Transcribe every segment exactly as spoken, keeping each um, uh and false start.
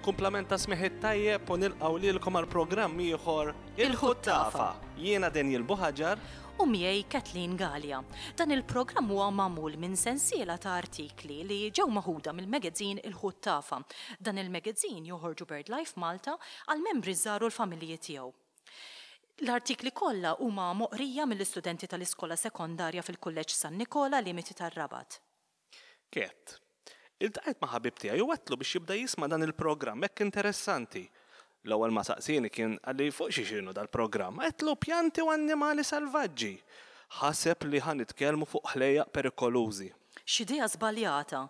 Il-kumplament ta' smigħ it-tajjeb u nilqgħu lilkom għal programm ieħor Il-Ħuttafa. Jiena Daniel Buhagiar. U miegħi Kathleen Galea. Dan il-programm huwa magħmul minn sensiela ta' artikli li ġew maħuda mill-magazine Il-Ħuttafa. Dan il-magazine joħorġu BirdLife Malta għal membri żgħar u l-familji tiegħu. L-artikli kollha huma moqrija mill-istudenti tal-iskola sekondarja fil-Kulleġġ San Nikola Limiti tar-Rabat. Ket, iltqajt ma' ħabib tiegħi u għedtlu biex jibda jisma' dan il-programm hekk interessanti. L-ewwel ma saqsini kien qalli fuq xi xinu dal-programm, għedtlu pjanti u annimali salvaġġi. Ħaseb li ħa nitkellmu fuq ħlejjaq perikolużi. X'idea żbaljata!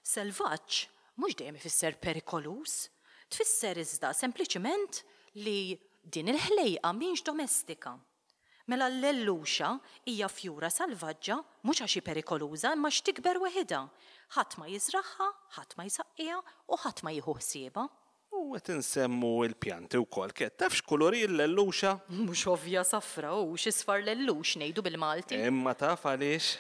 Selvaġġ mhux dejjem ifisser perikoluż. Tfisser iżda sempliċiment li din il-ħlejqa mhix domestika. Mela l-lelluxa hija fjura salvaġġa mhux għax hi perikoluża imma għax tikber weħidha. Ħadd ma jiżragħha, ħadd ma jsaqqiha u ħadd ma jieħu ħsiebha. U qed insemmu l-pjanti wkoll. Ket, taf x'kulur hi l-lelluxa? Mhux ovvja safra u x'isfar lellux ngħidu bil-Malti. Imma taf għaliex?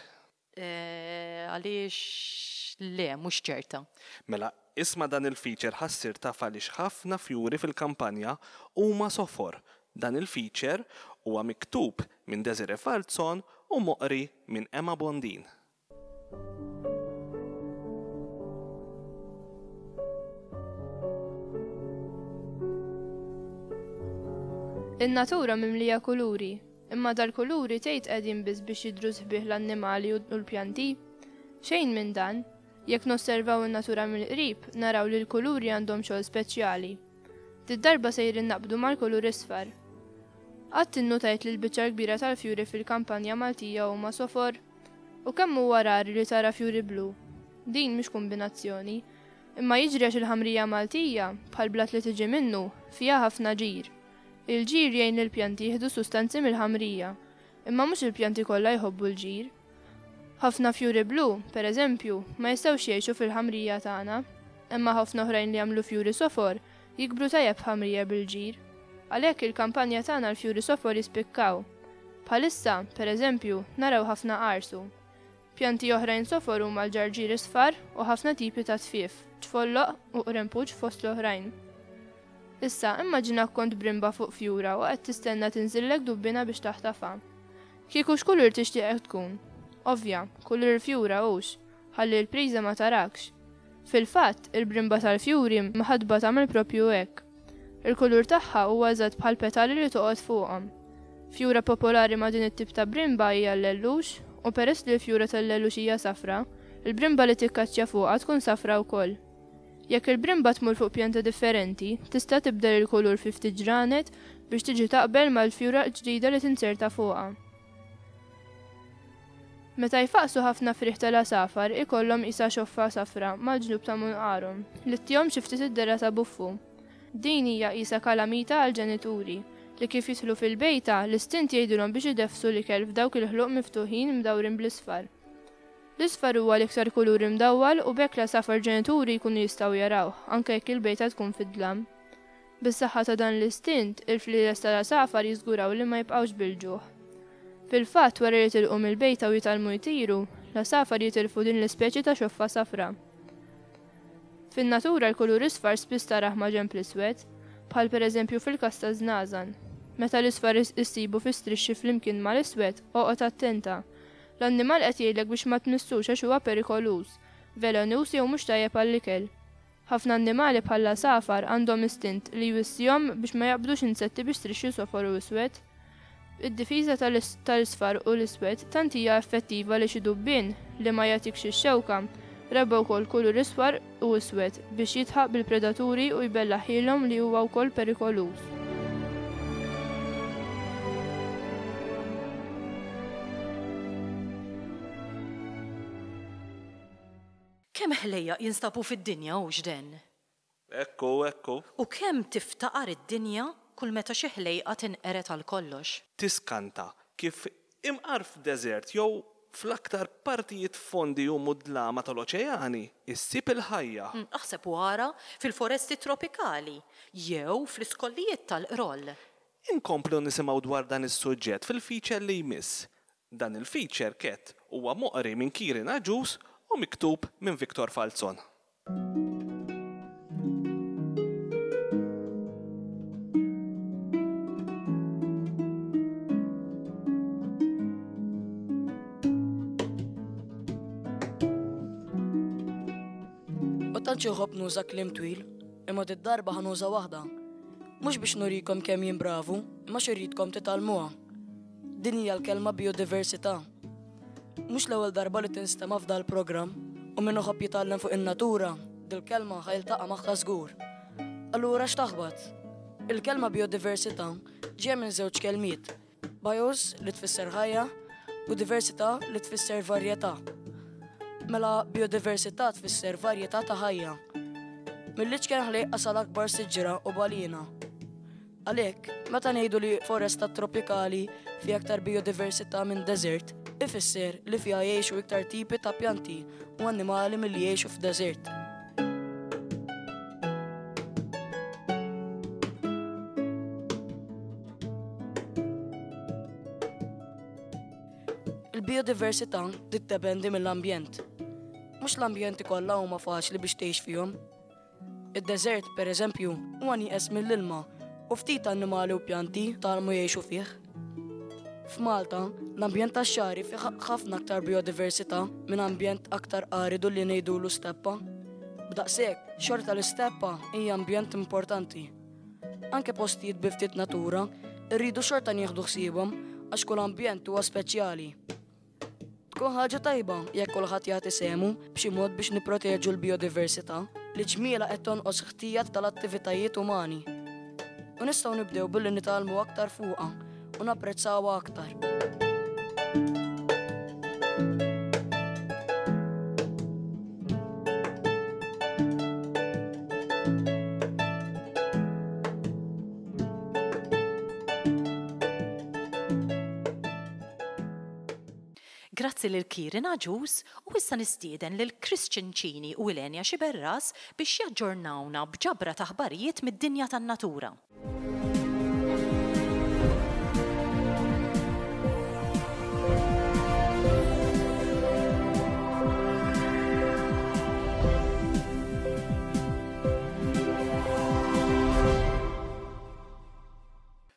Eh, għaliex le, mhux ċerta. Mela, isma' dan il-feature ħa ssir taf għaliex ħafna fjuri fil-kampanja huma sofor. Dan il-feature huwa miktub minn Desiree Falzon u moqri minn Emma Bondin. In-natura mimlija kuluri, imma dal-kuluri tgħid qegħdin biss biex jidhru sbieħ l-annimali u l-pjanti. Xejn minn dan, jekk nosservaw in-natura mill-qrib, naraw li l-kuluri għandhom xogħol speċjali. Did-darba sejrin naqbdu mal-kulur isfar. Qatt innutajt li l-biċċa kbira tal-fjuri fil-kampanja Maltija huma sofor? U kemm huwa rari li tara fjuri blu? Din mhix kombinazzjoni, imma jiġri għax il-ħamrija Maltija, bħal blat li tiġi minnu, fiha ħafna ġir. Il-ġir jgħin lill-pjanti jieħdu sustanzi mill-ħamrija, imma mhux il-pjanti kollha jħobbu l-ġir. Ħafna fjuri blu, per eżempju, ma jistgħux jgħixu fil-ħamrija tagħna, imma ħafna oħrajn li jagħmlu fjuri sofor jikbru tajjeb f'ħamrija bil-ġir. Għalhekk il-kampanja tagħna l-fjuri sofor jispikkaw. Bħalissa, per eżempju, naraw ħafna qarsu. Pjanti oħrajn sofor huma l-ġarġir isfar u ħafna tipi ta' tfief, ċfolloq u qrempuġ fost l-oħrajn. Issa, immaġina kont brimba fuq fjura u qed tistenna tinżillek dubbina biex taħtafha. Kieku x'kulur tixtieqek tkun? Ovvja, kulur il-fjura hux, ħalli l-priża ma tarakx. Fil-fatt, il-brimba tal-fjuri mħadba tagħmel propju hekk. Il-kulur tagħha huwa eżatt bħal petali li toqgħod fuqhom. Fjura popolari ma' din it-tip ta' brimba hija l-lellux, u peress li l-fjura tal-lellux hija safra, il-brimba li tikkaċċja fuqha tkun safra wkoll. Jekk il-brimba tmur fuq pjanta differenti, tista' tibdel il-kulur fi ftit ġranet biex tiġi taqbel mal-fjura ġdida li tinserta fuqha. Meta jfaqsu ħafna frieħ tal-għasafar ikollhom qisha xoffa safra mal-ġnub ta' munqarhom li ttihom xi ftit id-dehra ta' buffu. Din hija qisha kalamita għall-ġenituri li kif jidħlu fil-bejta l-istint jgħidulhom biex ideffsu l-ikel f'dawk il-ħluq miftuħin mdawrin bl-isfar. L-isfar huwa l-iktar kulur imdawwal u b'hekk l-għasafar ġenituri jkunu jistgħu jarawh anke jekk il-bejta tkun fid-dlam. Bis-saħħa ta' dan l-istint, il-flieles tal-għasafar jiżguraw li ma jibqgħux bil-ġuħ. Fil-fatt, wara li jitilqu mill-bejta u jitgħallmu jtiru, l-għasafar jitilfu din l-ispeċi ta' xoffa safra. Fin-natura l-kulur isfar spiss tarah ma' ġenb l-iswed, bħal pereżempju fil-każ ta' żnażan. Meta l-isfar issibu fi strixxi flimkien mal-iswed, oqgħod attenta. L-annimal qed jgħidlek biex ma tmissux għax huwa perikoluż, velenuż jew mhux tajjeb għall-ikel. Ħafna annimali bħal l-għasafar għandhom istint li jwissihom biex ma jaqbdux insetti biex strixxi sofor u iswed. Id-difiża tal-isfar u l-iswed tant hija effettiva li xi dubbien li ma jagħtikx ix-xewka rabba wkoll kulur isfar u iswed biex jitħaq bil-predaturi u jbellaħilhom li huwa wkoll perikoluż. Kemm ħlejjaq jinstabu fid-dinja u x'den? Ekku, ekku. U kemm tiftaqar id-dinja kull meta xi ħlejqa tinqered għal kollox. Tiskanta kif imqar f'deżert jew fl-aktar partijiet fondi u mudlama tal-oċeani issib il-ħajja. Mm, aħseb u ara fil-foresti tropikali jew fl-iskollijiet tal-qroll. Inkomplu nisimgħu dwar dan is-suġġett fil-feature li jmiss. Dan il-feature Ket huwa moqri minn Kieran Agius u miktub minn Victor Falzon. tantx inħobb nuża kliem twil, imma did-darba ħa nuża waħda. Mhux biex nurikom kemm jien bravu, imma xirridkom titgħallmuha. Din hija l-kelma biodiversità. Mhux l-ewwel darba li tinstema' f'dal programm u min iħobb jitgħallem fuq in-natura, dil-kelma ħa jiltaqa' magħha żgur. Allura x'taħbat? Il-kelma biodiversità ġejja minn żewġ kelmiet, bios li tfisser ħajja u diversità li tfisser varjetà. Mela biodiversità tfisser varjetà ta' ħajja. Mill-iċken ħlejqa sal-akbar siġra u balina. Għalhekk, meta ngħidu li foresta tropikali fi aktar biodiversità minn deżert, ifisser li fiha jgħixu iktar tipi ta' pjanti u annimali milli jgħixu f'deżert. Il-biodiversità tiddependi mill-ambjent. Mhux l-ambjenti kollha huma faċli biex tgħix fihom. Id-deżert, per eżempju, huwa nieqes mill-ilma u ftit annimali u pjanti tgħallmu jgħixu fih. F'Malta, l-ambjent tax-xagħri fih ħafna aktar biodiversità minn ambjent aktar aridu li ngħidulu steppa. B'daqshekk, xorta l-isteppa hija ambjent importanti. Anke postijiet bi ftit natura, irridu xorta nieħdu ħsiebhom għax kull ambjent huwa speċjali. Tkun ħaġa tajba jekk kulħadd jagħti sehmu b'xi mod biex nipproteġu l-biodiversità li ġmiela qed tonqos ħtija tal-attivitajiet umani. U nistgħu nibdew billi nitgħallmu aktar fuqha u napprezzawha aktar. Grazzi lil Kieran Agius u issa nistieden lil Christian Cini u Ilenia Xiberras biex jaġġornawna b'ġabra ta' aħbarijiet mid-dinja tan-natura.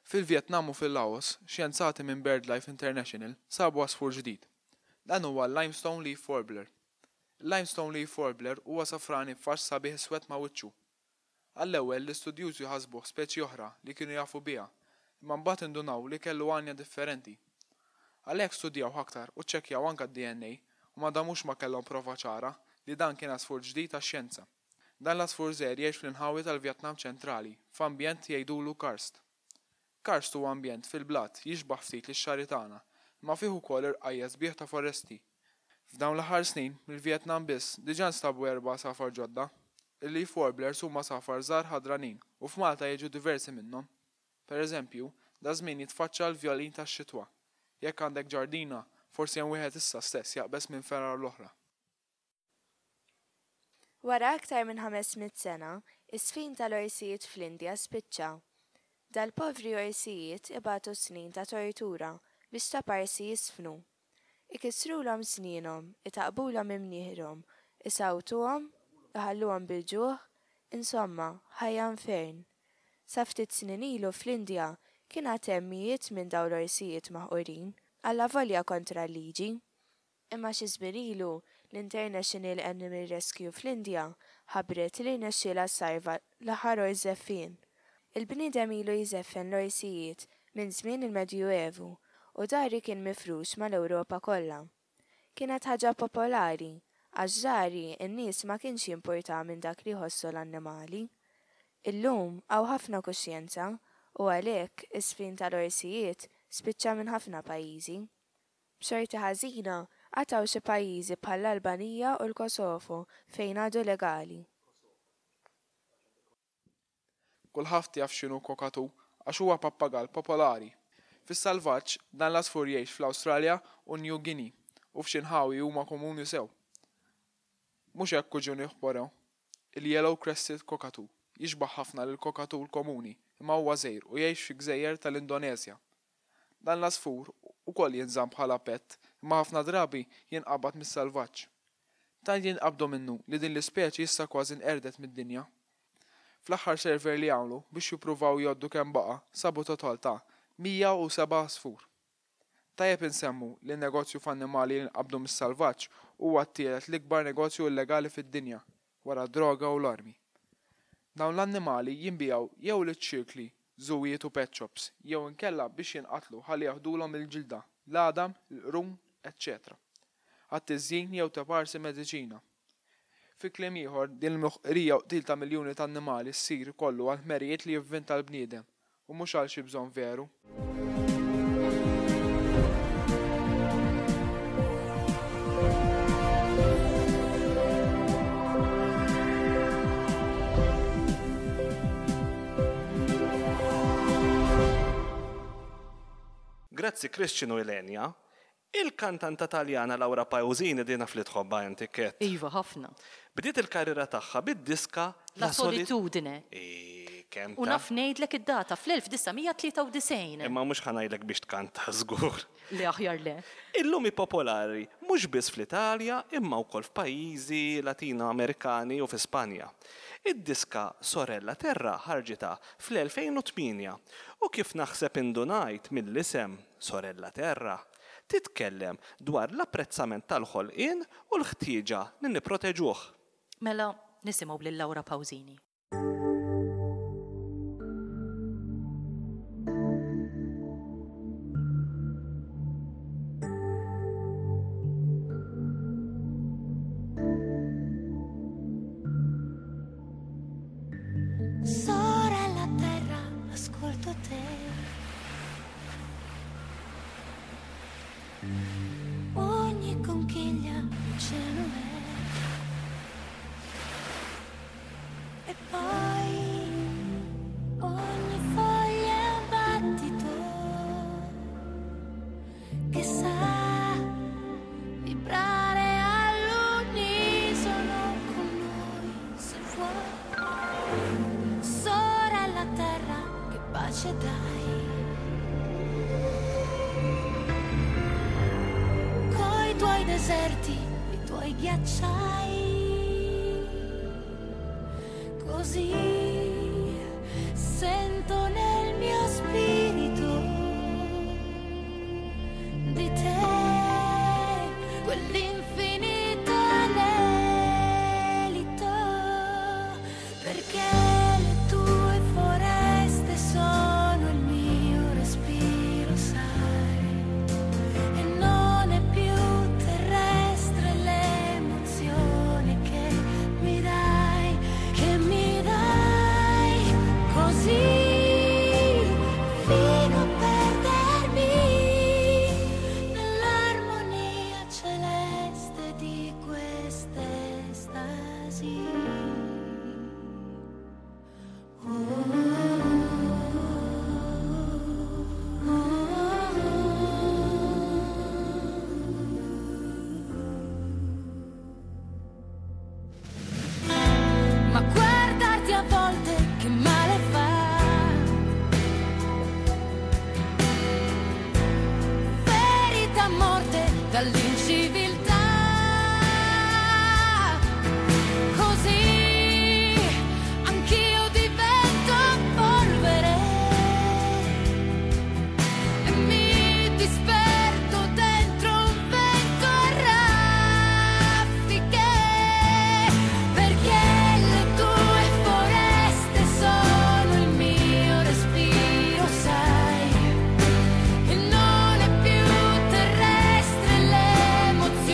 Fil-Vietnam u fil-Laos, xjenzati minn BirdLife International sabu għasfur ġdid. Dan huwa l-Limestone Leaf Warbler. Il-Limestone Leaf Warbler huwa safrani b'fax sabiħ iswed ma' wiċċu. Għall-ewwel l-istudjużi ħasbuh speċi oħra li kienu jafu biha, imma mbagħad indunaw li kellu għanja differenti. Għalhekk studjaw aktar u ċċekkjaw anke d-D N A u ma damux ma kellhom prova ċara li dan kien għasfur ġdid tax-xjenza. Dan l-għasfur żgħir jgħix fl-inħawi tal-Vjetnam ċentrali, f'ambjent jgħidulu karst. Karst huwa ambjent fil-blat jixbaħ ftit lix-xagħri tagħna, imma fih ukoll irqajja' sbieħ ta' foresti. F'dawn l-aħħar snin, mill-Vjetnam biss diġà nstabu erba' għasafar ġodda. Il-leaf warblers huma għasafar żgħar ħadranin u f'Malta jiġu diversi minnhom. Per eżempju, da żmien jitfaċċa l-vjolin tax-xitwa. Jekk għandek ġardina, forsi hemm wieħed issa stess jaqbeż minn fergħa l-oħra. Wara aktar minn ħames mitt sena, is-sfin tal-orsijiet fl-Indja spiċċa. Dal-povri orsijiet ibatu snin ta' tortura biex ta' parsi jisfnu. Ikissrulhom snienhom, itaqbulhom imnieħrhom, isawtuhom, iħalluhom bil-ġuħ, insomma, ħajja infern. Sa ftit snin ilu fl-Indja kien għad hemm mijiet minn dawn l-orsijiet maħqurin, allavolja kontra l-liġi. Imma xi żmien ilu l-International Animal Rescue fl-Indja ħabbret li rnexxielha ssalva l-aħħar ors żeffien. Il-bniedem ilu jżeffen l-orsijiet minn żmien il-Medjuevu u dari kien mifrux mal-Ewropa kollha. Kienet ħaġa popolari, għax dari n-nies ma kienx jimpurta minn dak li jħossu l-annimali. Illum hawn ħafna kuxjenza u għalhekk is-sfin tal-orsijiet spiċċa minn ħafna pajjiżi. B'xorti ħażina għataw xi pajjiżi bħall-Albanija u l-Kosovo fejn għadu legali. Kulħadd jaf x'inhu kokatu għax huwa pappagall popolari. Fis-salvaġġ dan l-għasfur jgħix fl-Awstralja u New Guinea u f'xi nħawi huma komuni sew. Mhux hekk kuġuni ħborew. Il-Yellow Crested Cockatoo jixbaħ ħafna lil kokatu l-komuni imma huwa żgħir u jgħix fi gżejjer tal-Indoneżja. Dan l-għasfur ukoll jinżamm bħala pet imma ħafna drabi jinqabad mis-salvaġġ. Tant jinqabdu minnu li din l-ispeċi issa kważi nqerdet mid-dinja. Fl-aħħar server li għamlu biex jippruvaw jgħoddu kemm baqa' sabu total ta' mija u seba' għasfur. Tajjeb insemmu li n-negozju f'annimali li nqabdu mis-salvaġġ huwa t-tielet l-ikbar negozju illegali fid-dinja. wara d-droga u l-armi. Dawn l-annimali jinbiegħu jew liċ-ċirkli, żuwijiet u pet shops, jew inkella biex jinqatlu ħalli jaħdulhom il-ġilda, l-għadam, il-qrun, eċċetera għat-tiżjin jew taparsi mediċina. Fi kliem ieħor, din il-moħqrija u qtil ta' miljuni ta' annimali ssir kollu għal ħmerijiet li jivvinta l-bniedem u mhux għal xi bżonn veru. Grazzi Christian u Elenia. Il-kantanta Taljana Laura Pausini dina fli tħobba inti Ket. Iva, ħafna. Bdiet il-karriera tagħha bid-diska La Solitudine. E, kemm U naf ngħidlek id-data fl-elf disa' mija tlieta u disgħin. Imma mhux ħa ngħidlek biex tkanta żgur. Le aħjar le. Illum hi popolari mhux biss fl-Italja imma wkoll f'pajjiżi Latino-Amerikani u fi Spanja. Id-diska Sorella Terra ħarġitha fl-elfejn u tmienja u kif naħseb indunajt mill-isem Sorella Terra titkellem dwar l-apprezzament tal-ħolqien u l-ħtieġa li nipproteġuh. Mela nisimgħu lil Laura Pausini. Sorella Terra, ascolto te. Ogni conchiglia oceano è. E poi ogni foglia è un battito che sa vibrare all'unisono con noi, se vuoi. Sorella Terra, che pace dai. Coi tuoi deserti, i tuoi ghiacciai, così sento nel mio spirito di te quell'infinito anelito, perché le tue foreste sono il mio respiro, sai, e non è più terrestre l'emozione che mi dai, che mi dai, così fino a perdermi nell'armonia celeste di quest'estasi. Oh, oh, oh. Ma guardarti a volte che male fa, ferita a morte dall'inciviltà, così anch'io divento polvere e mi disperdo dentro un vento a raffiche, perché le tue foreste sono il mio respiro, sai, e non è più terrestre l'emozione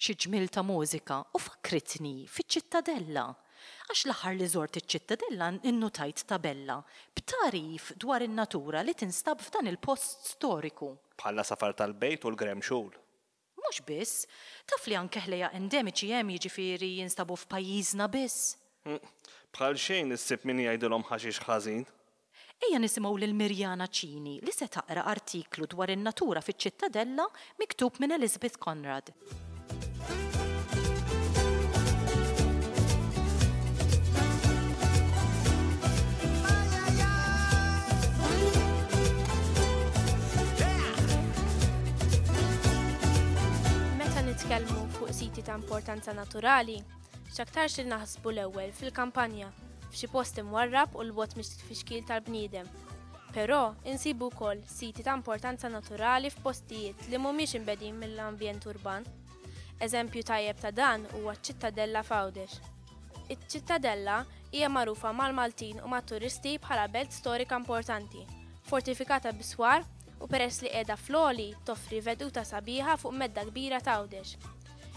Xi ġmiel ta' mużika u fakkritni fiċ-Ċittadella. Għax l-aħħar li żort iċ-Ċittadella innutajt tabella b'tagħrif dwar in-natura li tinstab f'dan il-post storiku. Bħall-għasafar tal-bejt u l-gremxul. Mhux biss, taf li anke ħlejjaq endemiċi hemm jiġifieri jinstabu f'pajjiżna biss. Bħal xejn issib min jgħidilhom ħaxix ħażin. Ejja nisimgħu lil Mirjana Cini li se taqra artiklu dwar in-natura fiċ-Ċittadella miktub minn Elizabeth Conrad. Meta nitkellmu fuq siti ta' importanza naturali, x'aktarx li naħsbu l-ewwel fil-kampanja, f'xi post imwarrab u l-bogħod mit-tfixkil tal-bniedem. Però insibu wkoll siti ta' importanza naturali f'postijiet li mhumiex imbegħdin mill-ambjent urban. Eżempju tajjeb ta' dan huwa ċ-Ċittadella f'Għawdex. Iċ-Ċittadella hija magħrufa mal-Maltin u mat-turisti bħala belt storika importanti, fortifikata bi swar u peress li qiegħda fl-għoli toffri veduta sabiħa fuq medda kbira ta' Għawdex.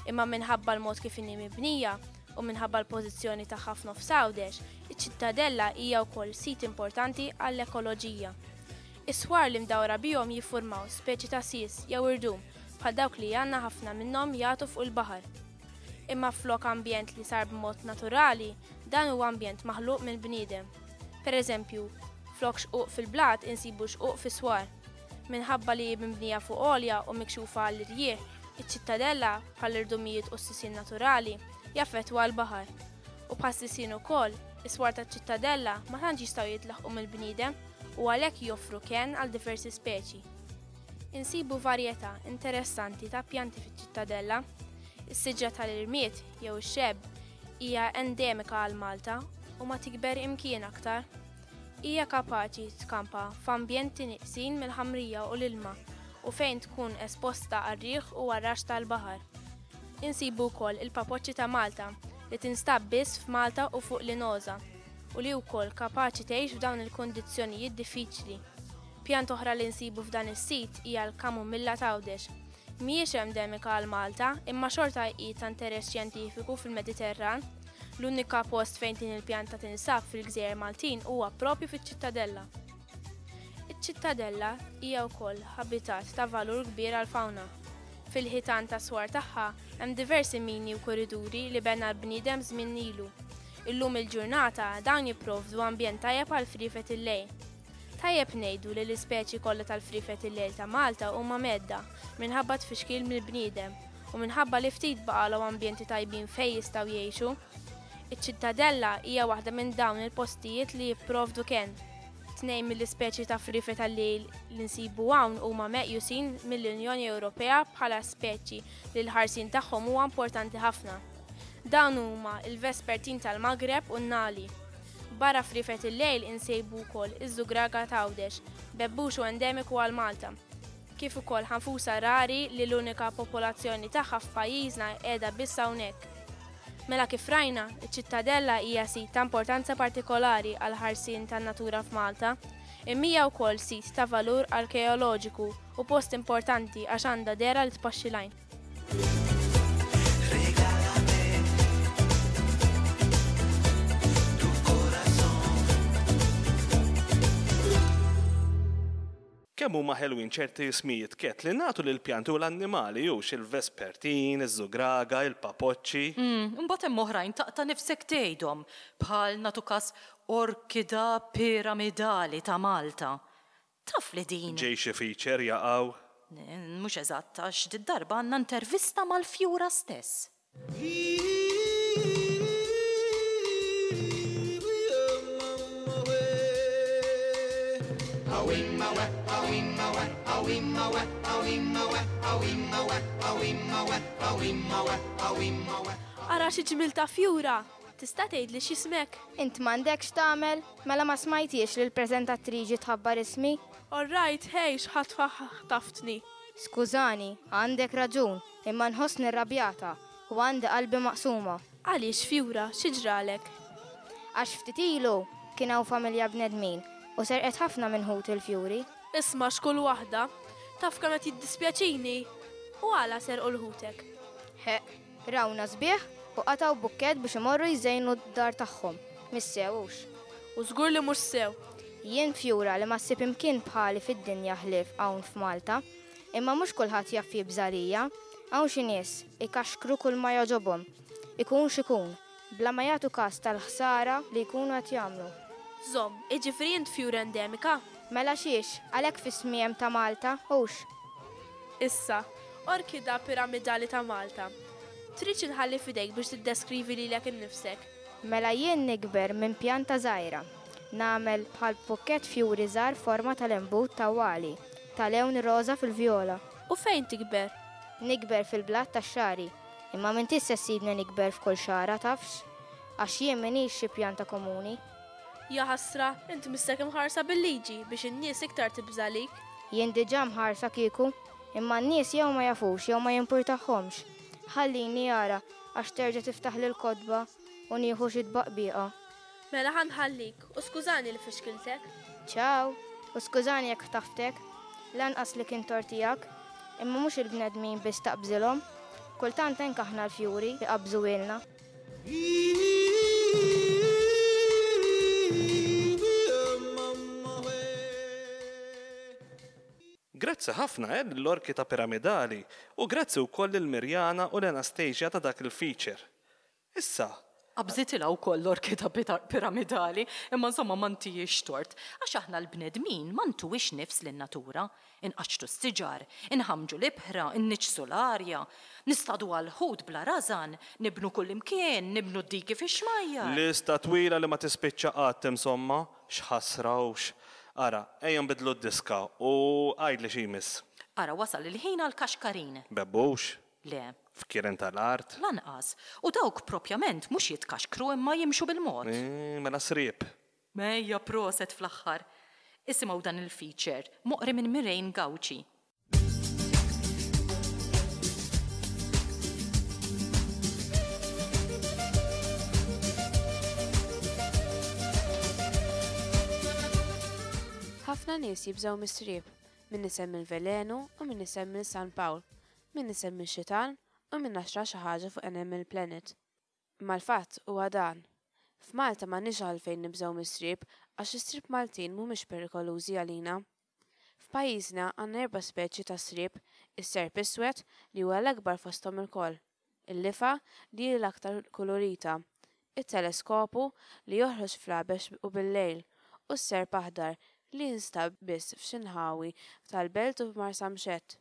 Imma minħabba l-mod kif inhi mibnija u minħabba l-pożizzjoni tagħha f'nofs Għawdex, iċ-Ċittadella hija wkoll sit importanti għall-ekoloġija. Is-swar li mdawra bihom jiffurmaw speċi ta' sis jew irdum bħal dawk li għandna ħafna minnhom jagħtu fuq il-baħar. Imma flok ambjent li sar b'mod naturali, dan huwa ambjent maħluq minn bniedem. Per eżempju, flok xquq fil-blat insibu xquq fis-swar. Minħabba li mibnija fuq għolja u mikxufa għall-irjieħ, iċ-Ċittadella bħall-irdumijiet u s-sisien naturali jaffettwa l-baħar. U bħas-sisien ukoll, is-swar taċ-Ċittadella ma tantx jistgħu jitlaħqu mill-bniedem u għalhekk joffru kenn għal diversi speċi. Insibu varjetà interessanti ta' pjanti fiċ-Ċittadella. Is-siġra tal-irmied jew ix-xebb hija endemika għal Malta u ma tikber imkien aktar. Hija kapaċi tkampa f'ambjenti nieqsin mill-ħamrija u l-ilma u fejn tkun esposta għar-riħ u għar-rax tal-baħar. Insibu wkoll il-papoċċi ta' Malta li tinstab biss f'Malta u fuq l-Inoża u li wkoll kapaċi tgħix f'dawn il-kundizzjonijiet diffiċli. Pjanta oħra li nsibu f'dan is-sit hija l-kamumilla t'Għawdex. Mhijiex endemika għal Malta, imma xorta hi ta' interess xjentifiku fil-Mediterran. L-unika post fejn din il-pjanta tinsab fil-Gżejjer Maltin huwa propju fiċ-Ċittadella. Iċ-Ċittadella hija wkoll habitat ta' valur kbir għall-fawna. Fil-ħitan ta' swar tagħha hemm diversi mini u korriduri li bena l-bniedem żmien ilu. Illum il-ġurnata dawn jipprovdu ambjent tajjeb għal friefet il-lejl. Tajjeb ngħidu li l-ispeċi kollha tal-friefet il-lejl ta' Malta huma medda minħabba tfixkil mill-bniedem u minħabba li ftit baqalhom ambjenti tajbin fejn jistgħu jgħixu. Iċ-Ċittadella hija waħda minn dawn il-postijiet li jipprovdu kenn. Tnejn mill-ispeċi ta' friefet tal-lejl li nsibu hawn huma meqjusin mill-Unjoni Ewropea bħala speċi li l-ħarsien tagħhom huwa importanti ħafna. Dawn huma il-vespertin tal-Magreb u n-Nali. Barra friefet il-lejl insejbu wkoll iż-żugraga t'Għawdex, bebbuxu endemiku għal Malta. Kif ukoll ħanfusa rari li l-unika popolazzjoni tagħha f'pajjiżna qiegħda biss hawnhekk. Mela kif rajna, iċ-Ċittadella hija sit ta' importanza partikolari għal ħarsien tan-natura f'Malta, imma hija wkoll sit ta' valur arkeoloġiku u post importanti għax għandha dehra li tpaxxi l-għajn. Kemm huma ħelwin ċerti ismijiet Ket li nagħtu lil pjanti u l-annimali hux il-vespertin, iż-żugraga, il-papoċċi. Mm, imbagħad hemm oħrajn taqta' nifsek tgħidhom bħal nagħtu każ orkida piramidali ta' Malta. Taf li din? Ġej xi feature jaqgħu. Mhux eżatt għax did-darba għandna intervista mal-fjura stess. Ara xi ġmiel ta' fjura! Tista' tgħidli x'ismek? Int m'għandekx tagħmel, mela ma smajtiex li l-preżentatriċi tħabbar ismi? All right, hej, x'ħadd ħtaftni. Skużani, għandek raġun, imma nħossni rrabjata u għandi qalbi maqsuma. Għaliex fjura, xi ġralek? Għax ftit ilu kien hawn familja bnedmin u serqet ħafna minn ħut il-fjuri. Isma' x'kull waħda, taf kemm qed jiddispjaċini. U għala serqu l-ħutek? Ħeqq, rawna sbieħ u qatgħu bukkett biex imorru jżejnu d-dar tagħhom. Mhix sew hux. U żgur li mhux sew. Jien fjura li ma ssib imkien bħali fid-dinja ħlief hawn f'Malta, imma mhux kulħadd jaf jibża' għalija. Hawn xi nies ikaxkru kull ma jogħġobhom. Ikun x'ikun, bla ma jagħtu każ tal-ħsara li jkunu qed jagħmlu. Żomm, jiġifieri int fjura endemika? Mela xiex, għalhekk f'ismi hemm ta' Malta, hux? Issa, orkida piramidali ta' Malta. Tridx inħalli f'idejk biex tiddeskrivi lilek innifsek? Mela jien nikber minn pjanta żgħira. Nagħmel bħal bukkett fjuri żgħar forma tal-imbut tawwali, ta' lewn roża fil-vjola. U fejn tikber? Nikber fil-blat tax-xagħri. Imma m'intix se ssibni nikber f'kull xagħra tafx, għax jien m'iniex xi pjanta komuni. Ja ħasra, int missek imħarsa bil-liġi biex in-nies iktar tibża' għalik. Jien diġà mħarsa kieku, imma n-nies jew ma jafux jew ma jimpurtahomx. Ħallini ara għax terġa' tiftaħ l-kotba u nieħu xi tbaqbiqa. Mela ħa nħallik u skużani li fixkiltek. Ciao, u skużani jekk ħtaftek, lanqas li kien tort tiegħek, imma mhux il-bnedmin biss taqbżilhom. Kultant anke aħna l-fjuri jqabżuhielna. Grazzi ħafna eh, l-orkida piramidali u grazzi wkoll lil Mirjana u l-Anastasia ta' dak il-feature. Issa, Qabżitilha wkoll l-orkida piramidali, imma insomma ma ntihiex tort, għax aħna l-bnedmin ma ntuwix nifs lin-natura. Inqaċċtu s-siġar, inħamġu l-ibħra, inniġġsu l-arja, nistadu għal-ħut bla rażan, nibnu kullimkien, nibnu d-diki fix-xmajjar. Lista twila li ma tispiċċa qatt insomma, x'ħasra hux. Ara, ejja nbidlu d-diska u għidli x'imiss. Ara wasal il-ħin għal kaxkarin. Bebbux? Le. Fkieren tal-art? Lanqas. U dawk propjament mhux jitkaxkru imma jimxu bil-mod. Eh, mela sriep. Mejja proset fl-aħħar. Isimgħu dan il-feature, moqri minn Mirejn Gauci. Ħafna nies jibżgħu mis-sriep, min isemmi l-velenu u min isemmi San Pawl, min isemmi x-xitan u min xtra xi ħaġa fuq Animal Planet. Imma l-fatt huwa dan. F'Malta m'għandniex għalfejn nibżgħu mis-sriep għax is-sriep Maltin mhumiex perikolużi għalina. F'pajjiżna għandna erba' speċi ta' sriep, is-serp iswed li huwa l-akbar fosthom ilkoll, il-lifa li hi l-aktar kulurita, it-teleskopu li joħroġ fl-għabex u bil-lejl, u s-serp aħdar li jinstab biss f'xi nħawi tal-belt u f'Marsamxett.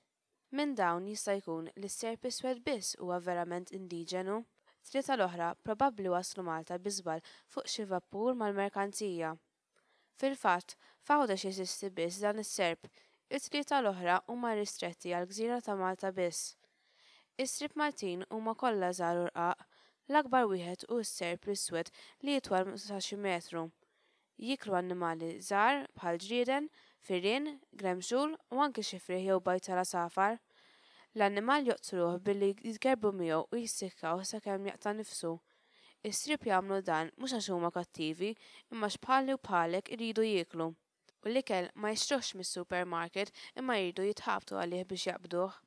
Minn dawn jista' jkun li s-serp iswed biss huwa verament indiġenu. Tlieta l-oħra probabbli waslu Malta bi żball fuq xi vapur mal-merkanzija. Fil-fatt, f'Għawdex jeżisti biss dan is-serp, it-tlieta l-oħra huma ristretti għall-gżira ta' Malta biss. Is-sriep Maltin huma kollha żgħar u rqaq, l-akbar wieħed hu s-serp l-iswed li jitwal sa xi metru. Jiklu annimali żgħar bħal ġrieden, firien, gremxul u anki xi frieħ jew bajd tal-għasafar. L-annimal joqtluh billi jitgerbu miegħu u jissikkaw sakemm jaqta' nifsu. Is-sriep jagħmlu dan mhux għax huma kattivi, imma għax bħali u bħalek iridu jieklu. U l-ikel ma jixtruhx mis-supermarket imma jridu jitħabtu għalih biex jaqbduh.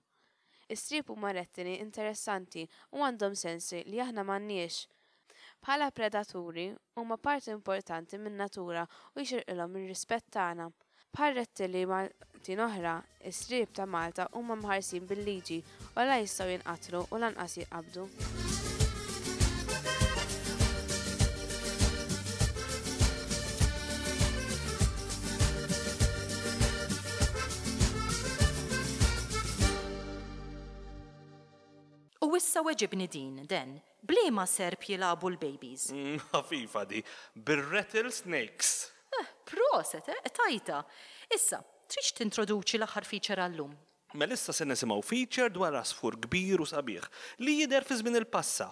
Is-sriep huma rettili interessanti u għandhom sensi li aħna m'għandniex. Bħala predaturi huma parti importanti min-natura u jixirqilhom ir-rispett tagħna. Bħal rettili Maltin oħra, is-sriep ta' Malta huma mħarsin bil-liġi u la jistgħu jinqatlu u lanqas jinqabdu. U issa weġibni din, Den, b'liema serp jilagħbu l-babies? Mm, ħafifa di, bir-rattlesnakes. Eh, proset, eh, tajta. Issa, tridx tintroduċi l-aħħar feature għallum? Mela issa se nisimgħu feature dwar għasfur kbir u sabiħ li jidher fi żmien il-passa.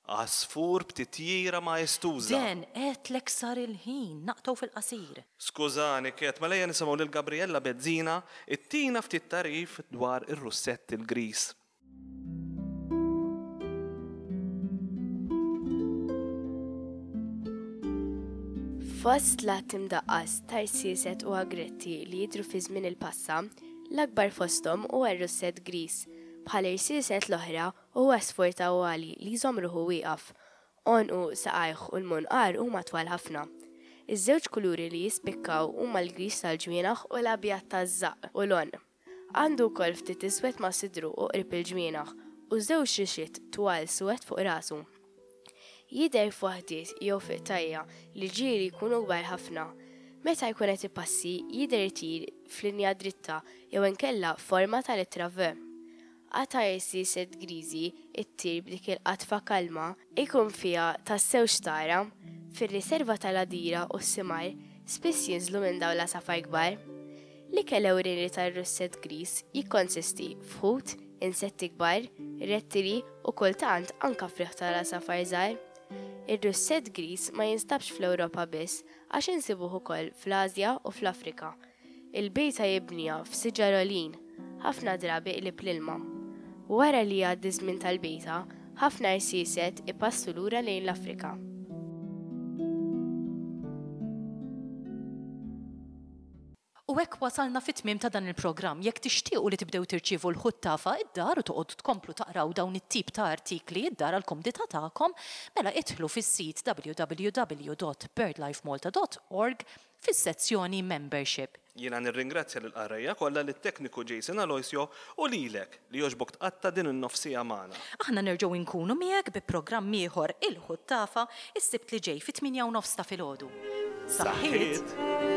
Għasfur b'titjira maestuża. Den, għedtlek sar il-ħin, naqtgħu fil-qasir. Skużani, Ket, mela ejja nisimgħu lil Gabriella Bezzina ittina ftit tagħrif dwar ir-russett il-gris. Fost l-għadd imdaqqas ta' rsieset u agretti li jidhru fi żmien il-passa, l-akbar fosthom huwa r-russett gris, Bħal irsieset l-oħra, huwa għasfur tawwali li jżomm ruħu wieqaf. Għonqu, saqajh u l-munqar huma twal ħafna. Iż-żewġ kuluri li jispikkaw huma l-griż tal-ġwienaħ u l-abjad taż-żaqq u l-għonq. Għandu wkoll ftit iswed ma' sidru u qrib il-ġwienaħ u żewġ rixiet twal suwed fuq rasu. Jidher f'waħdiet jew fi qtajja' li ġieli jkunu kbar ħafna. Meta jkun qed ipassi jidher itir f'linja dritta jew inkella f'forma ta' littra V. Qatgħa irsieset griżi ttir b'dik il-qatfa kalma jkun fiha tassew x'tara. Fir-riserva tal-Għadira u s-Simar spiss jinżlu minn dawn l-għasafar kbar. L-ikel ewlieni tar-russett griż jikkonsisti f'ħut, insetti kbar, rettili u kultant anka frieħ tal-għasafar żgħar. Ir-russett griż ma jinstabx fl-Ewropa biss għax insibuh ukoll fl-Asja u fl-Afrika. Il-bejta jibniha f'siġar għoljin, ħafna drabi qrib l-ilma. Wara li jgħaddi ż-żmien tal-bejta, ħafna rsieset ipassu lura lejn l-Afrika. U hekk wasalna fit-tmiem ta' dan il-programm. Jekk tixtiequ li tibdew tirċievu l-ħuttafa id-dar u toqgħodu tkomplu taqraw dawn it-tip ta' artikli id-dar għall-kumdità tagħkom, mela idħlu fis-sit w w w dot birdlifemalta dot org fis-sezzjoni Membership. Jiena nirringrazzja lill-qarrejja kollha, lit-tekniku Jason Aloisio u lilek li jogħġbok tqatta' din in-nofsija magħna. Aħna nerġgħu nkunu miegħek bi programm ieħor il-Ħuttafa is-Sibt li ġej fit-tmienja u nofs ta' filgħodu. Saħħiet!